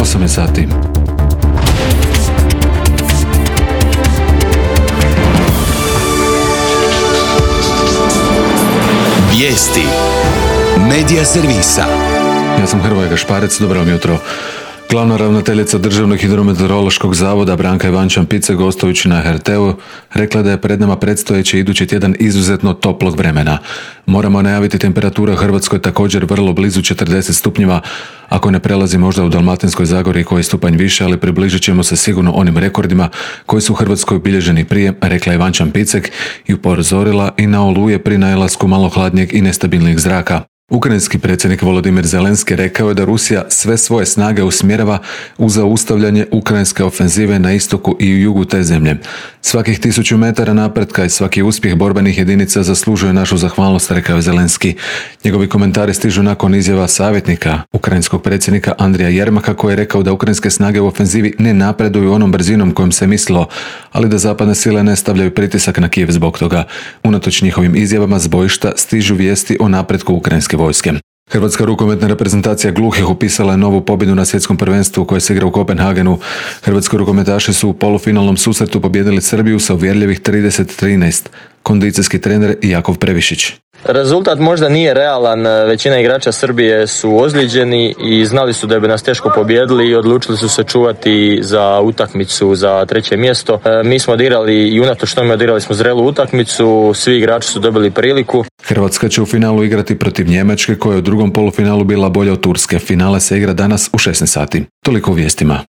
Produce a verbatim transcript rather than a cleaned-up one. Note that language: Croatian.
osam je sati. Vijesti Medija servisa. Ja sam Hrvoje Gašparec, dobro vam jutro. Glavna ravnateljica Državnog hidrometeorološkog zavoda Branka Ivančan-Picek gostujući na er te u rekla da je pred nama predstojeći idući tjedan izuzetno toplog vremena. Moramo najaviti temperatura u Hrvatskoj također vrlo blizu četrdeset stupnjeva, ako ne prelazi možda u Dalmatinskoj zagori koji je stupanj više, ali približit ćemo se sigurno onim rekordima koji su u Hrvatskoj obilježeni prije, rekla Ivančan-Picek i upozorila i na oluje pri najelasku malo hladnijeg i nestabilnijeg zraka. Ukrajinski predsjednik Volodimir Zelenski rekao je da Rusija sve svoje snage usmjerava u zaustavljanje ukrajinske ofenzive na istoku i u jugu te zemlje. Svakih tisuću metara napretka i svaki uspjeh borbenih jedinica zaslužuje našu zahvalnost, rekao je Zelenski. Njegovi komentari stižu nakon izjava savjetnika ukrajinskog predsjednika Andrija Jermaka koji je rekao da ukrajinske snage u ofenzivi ne napreduju onom brzinom kojom se mislilo, ali da zapadne sile ne stavljaju pritisak na Kijev zbog toga. Unatoč njihovim izjavama s bojišta stižu vijesti o napretku ukrajinske vojske. Hrvatska rukometna reprezentacija gluhih upisala je novu pobjedu na svjetskom prvenstvu koje se igra u Kopenhagenu. Hrvatski rukometaši su u polufinalnom susretu pobijedili Srbiju sa uvjerljivih trideset trinaest. Kondicijski trener Jakov Previšić. Rezultat možda nije realan, većina igrača Srbije su ozlijeđeni i znali su da bi nas teško pobijedili i odlučili su se čuvati za utakmicu za treće mjesto. Mi smo odigrali i unatoč tome odigrali smo zrelu utakmicu, svi igrači su dobili priliku. Hrvatska će u finalu igrati protiv Njemačke koja je u drugom polufinalu bila bolja od Turske. Finale se igra danas u šesnaest sati. Toliko u vijestima.